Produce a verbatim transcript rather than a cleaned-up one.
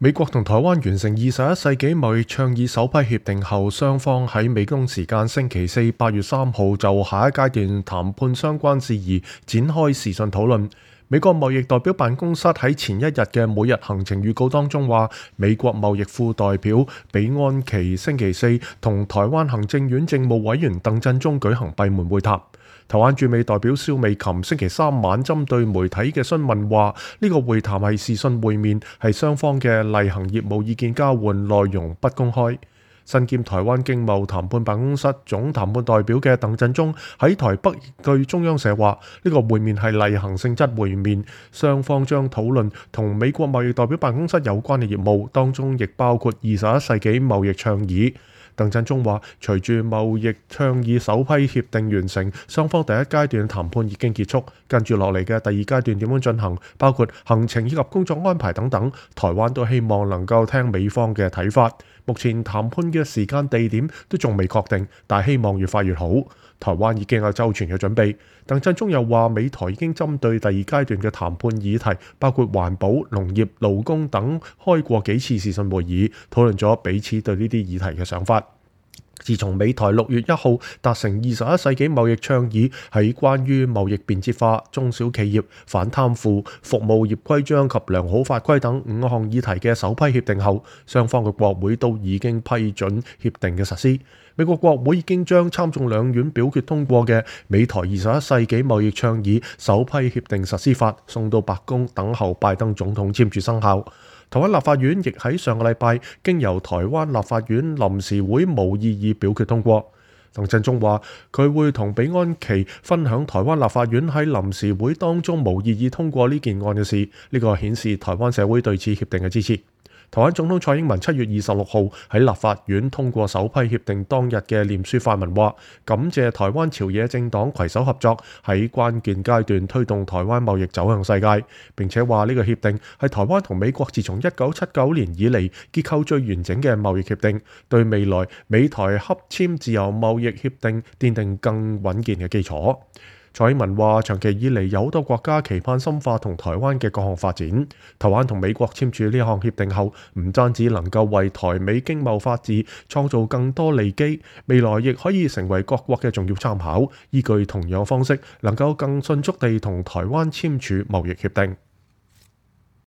美國同台灣完成二十一世紀貿易倡議首批協定後，雙方喺美東時間星期四八月三號就下一階段談判相關事宜展開視訊討論。美國貿易代表辦公室喺前一日嘅每日行程預告當中話，美國貿易副代表比安奇星期四同台灣行政院政務委員鄧振中舉行閉門會談。台灣駐美代表蕭美琴星期三晚針對媒體嘅詢問話，呢個會談係視訊會面，係雙方嘅例行業務意見交換，內容不公開。身兼台灣經貿談判辦公室總談判代表嘅鄧振中喺台北據中央社話，呢個會面係例行性質會面，雙方將討論同美國貿易代表辦公室有關嘅業務，當中亦包括二十一世紀貿易倡議。鄧振中話，隨住貿易倡議首批協定完成，雙方第一階段談判已經結束，跟住落嚟嘅第二階段點樣進行，包括行程以及工作安排等等，台灣都希望能夠聽美方嘅睇法。目前談判嘅時間地點都仲未確定，但希望越快越好。台灣已經有周全嘅準備。鄧振中又話，美台已經針對第二階段嘅談判議題，包括環保、農業、勞工等，開過幾次視訊會議，討論咗彼此對呢啲議題嘅想法。自從美台六月一號達成二十一世紀貿易倡議，喺關於貿易便捷化、中小企業、反貪腐、服務業規章及良好法規等五項議題嘅首批協定後，雙方嘅國會都已經批准協定嘅實施。美國國會已經將參眾兩院表決通過嘅美台二十一世紀貿易倡議首批協定實施法送到白宮等候拜登總統簽署生效。台灣立法院亦喺上個禮拜經由台灣立法院臨時會無異議表決通過。鄧振中話，佢會同比安奇分享台灣立法院喺臨時會當中無異議通過呢件案嘅事，呢個顯示台灣社會對此協定嘅支持。台灣總統蔡英文七月二十六號喺立法院通過首批協定當日嘅臉書發文話，感謝台灣朝野政黨攜手合作，喺關鍵階段推動台灣貿易走向世界。並且話呢個協定係台灣同美國自從一九七九年以嚟結構最完整嘅貿易協定，對未來美台洽簽自由貿易協定奠定更穩健嘅基礎。蔡英文話，長期以嚟有好多國家期盼深化同台灣嘅各項發展。台灣同美國簽署呢項協定後，唔單止能夠為台美經貿法治創造更多利基，未來亦可以成為各國嘅重要參考，依據同樣方式能夠更迅速地同台灣簽署貿易協定。